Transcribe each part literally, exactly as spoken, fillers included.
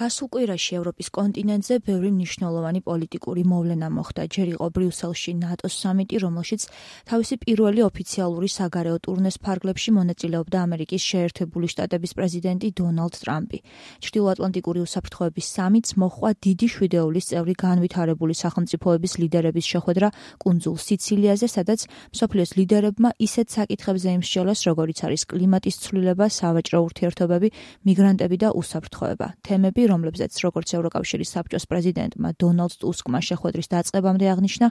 გასულ კვირაში ევროპის კონტინენტზე ბევრი მნიშვნელოვანი პოლიტიკური მოვლენა მოხდა. ჯერ იყო ბრიუსელში ნატოს სამიტი, რომელშიც თავისი პირველი ოფიციალური საგარეო ტურნეს ფარგლებში მონაწილეობდა ამერიკის შეერთებული შტატების პრეზიდენტი დონალდ ტრამპი. ჩრდილოატლანტიკური უსაფრთხოების სამიტს მოჰყვა დიდი შვიდეულის წევრი განვითარებული სახელმწიფოების ლიდერების შეხვედრა კუნძულ სიცილიაზე, სადაც მსოფლიოს ლიდერებმა ისეთ საკითხებზე იმსჯელეს, როგორიც არის კლიმატის ცვლილება, სავაჭრო ურთიერთობები, მიგრანტები და უსაფრთხოება. თემები, რომლებზეც როგორც ევროკავშირის საბჭოს პრეზიდენტმა დონალდ ტუსკმა შეხვედრის დაწყებამდე აღნიშნა,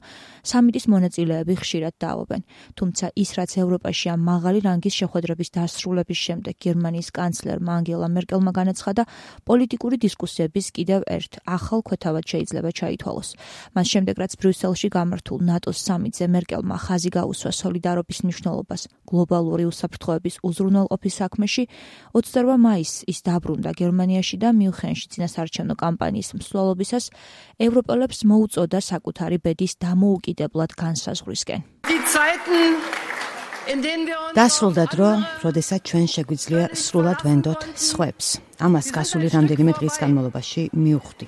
სამიტის მონაწილეები ხშირად დაობენ. თუმცა ის, რაც ევროპაშია მაღალი რანგის შეხვედრების დასრულების შემდეგ გერმანიის კანცლერმა ანგელა მერკელმა განაცხადა, პოლიტიკური დისკუსიების კიდევ ერთ ახალ ქვეთავად შეიძლება ჩაითვალოს. მას შემდეგ, რაც ბრიუსელში გამართულ ნატოს სამიტზე მერკელმა ხაზი გაუსვა სოლიდარობის მნიშვნელობას გლობალური უსაფრთხოების უზრუნველყოფის საქმეში, ოცდაორმა მაისს ის დაბრუნდა გერმანიაში და მიუნხენში წინასაარჩევნო კამპანიის მსვლელობისას ევროპელებს მოუწოდა საკუთარი ბედის დამოუკიდებლად განსაზღვრისკენ. დასრულდა დრო, როდესაც ჩვენ შეგვიძლია სრულად ვენდოთ სხვებს. ამას გასული რამდენიმე დღის განმავლობაში მივხვდი.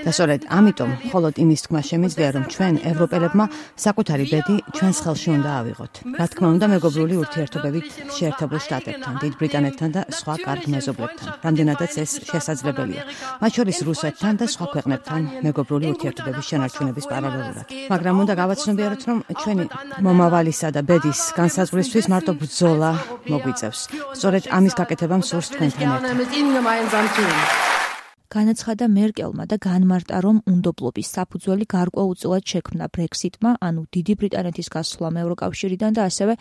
და სწორედ ამიტომ მხოლოდ იმის თქმა შემიძლია, რომ ჩვენ ევროპელებმა საკუთარი ბედი ჩვენს ხელში უნდა ავიღოთ. რა თქმა უნდა, მეგობრული ურთიერთობებით შეერთებულ შტატებთან, დიდ ბრიტანეთთან და სხვა კარგ მეზობლებთან, რამდენადაც ეს შესაძლებელია. მათ შორის რუსეთთან და სხვა ქვეყნებთან მეგობრული ურთიერთობების შენარჩუნების პარალელურად. მაგრამ უნდა გავაცნობიეროთ, რომ ჩვენი მომავალისა და ბედის განსაზღვრისთვის მარტო ბრძოლა მოგვიწევს. სწორედ ამის გაკეთება მსურს თქვენთან ერთად. განაცხადა მერკელმა და განმარტა, რომ უნდობლობის საფუძველი გარკვეულწილად შექმნა ბრექსიტმა, ანუ დიდი ბრიტანეთის გასვლამ ევროკავშირიდან და ასევე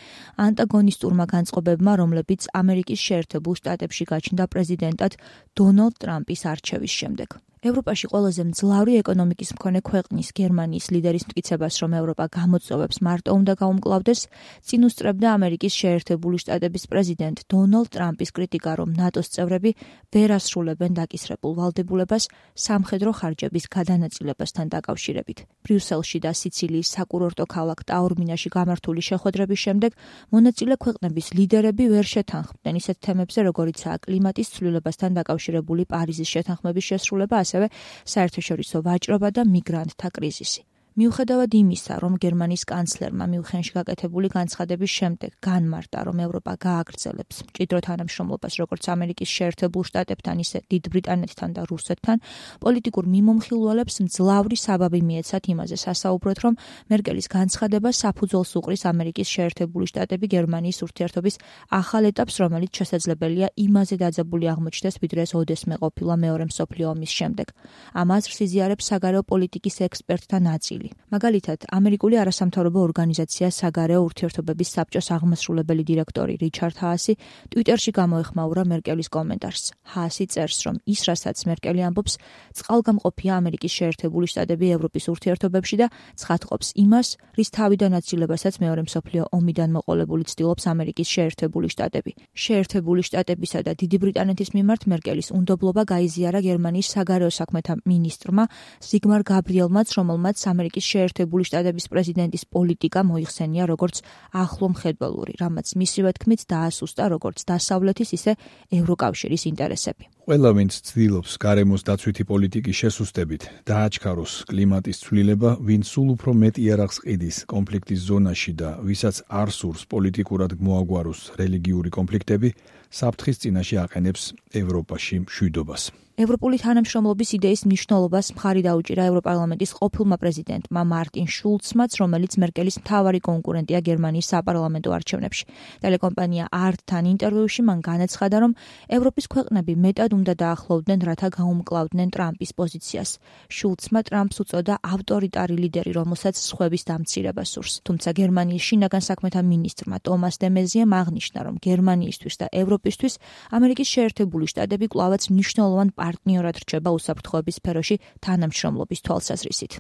ანტაგონისტურმა განწყობებმა, რომლებიც ამერიკის შეერთებულ შტატებში გაჩნდა პრეზიდენტად დონალდ ტრამპის არჩევის შემდეგ. ევროპაში ყველაზე მძლავრი ეკონომიკის მქონე ქვეყნის გერმანიის ლიდერის მტკიცებას, რომ ევროპა გამოწვევებს მარტო უნდა გაუმკლავდეს, წინ უსწრებდა ამერიკის შეერთებული შტატების პრეზიდენტ დონალდ ტრამპის კრიტიკა, რომ ნატოს წევრები ვერ ასრულებენ დაკისრებულ ვალდებულებას სამხედრო ხარჯების გადანაწილებასთან დაკავშირებით. ბრიუსელში და სიცილიის საკურორტო ქალაქ ტაორმინაში გამართული შეხვედრების შემდეგ მონაწილე ქვეყნების ლიდერები ვერ შეთანხმდნენ ისეთ თემებზე, როგორიცაა კლიმატის ცვლილებასთან დაკავშირებული პარიზის შეთანხმების შესრულება, ასევე საერთაშორისო ვაჭრობა და მიგრანტთა კრიზისი. მიუხედავად იმისა, რომ გერმანიის კანცლერმა მიუნხენში გაკეთებული განცხადების შემდეგ განმარტა, რომ ევროპა გააგრძელებს მჭიდრო თანამშრომლობას როგორც ამერიკის შეერთებულ შტატებთან, ისე დიდ ბრიტანეთთან და რუსეთთან, პოლიტიკურ მიმომხილველებს მძლავრი საბაბი მიეცათ იმაზე სასაუბროთ, რომ მერკელის განცხადება საფუძველს უყრის ამერიკის შეერთებული შტატები გერმანიის ურთიერთობის ახალ ეტაპს, რომელიც შესაძლებელია იმაზე დაძაბული აღმოჩნდეს, ვიდრე ეს ოდესმე ყოფილა მეორე მსოფლიო ომის შემდეგ. ამ აზრს იზიარებს საგარეო პოლიტიკის ექსპერტთა ნაწილი. მაგალითად, ამერიკული არასამთავრობო ორგანიზაცია საგარეო ურთიერთობების საბჭოს აღმასრულებელი დირექტორი რიჩარდ ჰაასი ტვიტერში გამოეხმაურა მერკელის კომენტარს. ჰაასი წერს, რომ ის, რასაც მერკელი ამბობს, წყალგამყოფია ამერიკის შეერთებული შტატები ევროპის ურთიერთობებში და ცხადყოფს იმას, რის თავიდან აცილებასაც მეორე მსოფლიო ომიდან მოყოლებული ცდილობს ამერიკის შეერთებული შტატები. შეერთებული შტატებისა და დიდი ბრიტანეთის მიმართ მერკელის უნდობლობა გაიზიარა გერმანიის საგარეო საქმეთა მინისტრმა ზიგმარ გაბრიელმაც, რომელმაც ამერიკის შეერთებული შტატების პრეზიდენტის პოლიტიკა მოიხსენია როგორც ახლო მხედველური, რამაც მისივე თქმით დაასუსტა როგორც დასავლეთის, ისე ევროკავშირის ინტერესები. ყველა, ვინც ცდილობს გარემოს დაცვითი პოლიტიკის შესუსტებით დააჩქაროს კლიმატის ცვლილება, ვინც სულ უფრო მეტ იარაღს ყიდის კონფლიქტის ზონაში და ვისაც არ სურს პოლიტიკურად მოაგვაროს რელიგიური კონფლიქტები, საფრთხის წინაშე აყენებს ევროპაში მშვიდობას. ევროპული თანამშრომლობის იდეის მნიშვნელობას მხარი დაუჭირა ევროპარლამენტის ყოფილმა პრეზიდენტმა მარტინ შულცმაც, რომელიც მერკელის მთავარი კონკურენტია გერმანიის საპარლამენტო არჩევნებში. ტელეკომპანია არტთან ინტერვიუში მან განაცხადა, რომ ევროპის ქვეყნები მეტად უნდა დაახლოვდნენ, რათა გაუმკლავდნენ ტრამპის პოზიციას. შულცმა ტრამპს უწოდა ავტორიტარი ლიდერი, რომელსაც სხვების დამცირება სურს. თუმცა გერმანიის შინაგან საქმეთა მინისტრმა ტომას დე მეზიემ აღნიშნა, რომ გერმანიისთვის და ევროპისთვის ამერიკის შეერთებული შტატები კვლავაც მნიშვნელოვან პარტნიორად რჩება უსაფრთხოების სფეროში თანამშრომლობის თვალსაზრისით.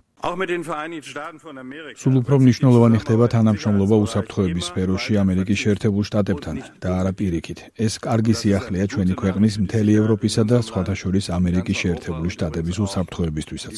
სულ უფრო მნიშვნელოვანი ხდება თანამშრომლობა უსაფრთხოების სფეროში ამერიკის შეერთებულ შტატებთან და არა პირიქით. ეს კარგი სიახლეა ჩვენი ქვეყნის, მთელი ევროპისა და სხვათა შორის ამერიკის შეერთებული შტატების უსაფრთხოებისთვისაც.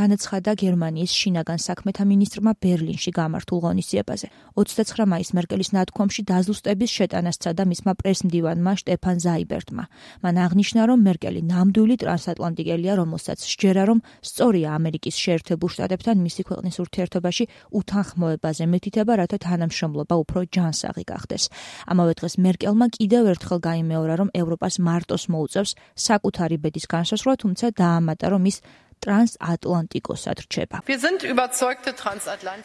განაცხადა გერმანიის შინაგან საქმეთა მინისტრმა ბერლინში გამართულ ღონისძიებაზე. ოცდაცხრა მაისს მერკელის ნათქვამში დაზუსტების შეტანას სცადა მისმა პრესმდივანმა შტეფან ზაიბერტმა. მან აღნიშნა, რომ მერკელი ნამდვილი ტრანსატლანტიკელია, რომელსაც სჯერა, რომ სწორია ამერიკის შეერთებულ შტატებთან მისი ქვეყნის ურთიერთობაში უთანხმოებაზე მითითება, რათა თანამშრომლობა უფრო ჯანსაღი გახდეს. ამავე დღეს მერკელმა კიდევ ერთხელ გაიმეორა, რომ ევროპას მარტოს მოუწევს საკუთარი ბედის განსაზღვრა, თუმცა დაამატა, რომ ის ტრანსატლანტიკოსად რჩება.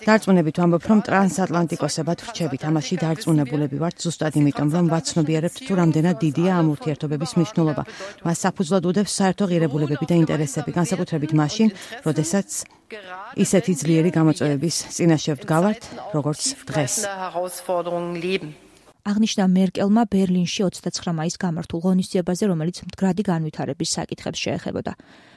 დარწმუნებით ვამბობ, რომ ტრანსატლანტიკოსებად რჩებით. ამაში დარწმუნებულები ვართ ზუსტად იმიტომ, რომ ვაცნობიერებთ თუ რამდენად დიდია ამ ურთიერთობების მნიშვნელობა. მას საფუძვლად უდევს საერთო ღირებულებები და ინტერესები, განსაკუთრებით მაშინ, როდესაც ისეთი ძლიერი გამოწვევების წინაშე ვდგავართ, როგორც დღეს. აღნიშნა მერკელმა ბერლინში ოცდაცხრა მაისს გამართულ ღონისძიებაზე, რომელიც მდგრადი განვითარების საკითხებს შეეხებოდა.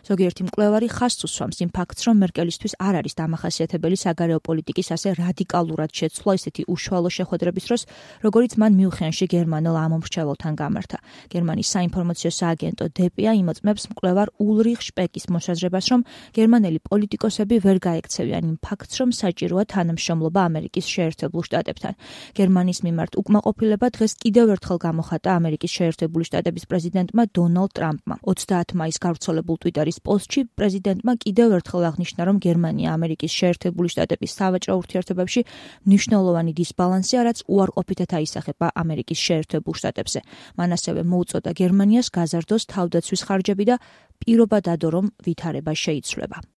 ზოგიერთი მკვლევარი ხაზს უსვამს იმ ფაქტს, რომ მერკელისთვის არ არის დამახასიათებელი საგარეო პოლიტიკის ასე რადიკალურად შეცვლა ისეთი უშუალო შეხვედრების დროს, როგორიც მან მიუნხენში გერმანელ ამომრჩეველთან გამართა. გერმანიის საინფორმაციო სააგენტო დე-პია იმოწმებს მკვლევარ ულრიხ შპეკის მოსაზრებას, რომ გერმანელი პოლიტიკოსები ვერ გაექცევიან იმ ფაქტს, რომ საჭიროა თანამშრომლობა ამერიკის შეერთებულ შტატებთან. გერმანიის მიმართ უკმაყოფილება დღეს კიდევ ერთხელ გამოხატა ამერიკის შეერთებული შტატების პრეზიდენტმა დონალდ ტრამპმა. ოცდაათი მაისს გავრცელებულ ტვიტერ პოსტში პრეზიდენტმა კიდევ ერთხელ აღნიშნა, რომ გერმანია ამერიკის შეერთებული შტატების სავაჭრო ურთიერთობებში მნიშვნელოვანი დისბალანსია, რაც უარყოფითად აისახება ამერიკის შეერთებულ შტატებზე. მან ასევე მოუწოდა გერმანიას გაზარდოს თავდაცვის ხარჯები და პირობა დადო, რომ ვითარება შეიცვლება.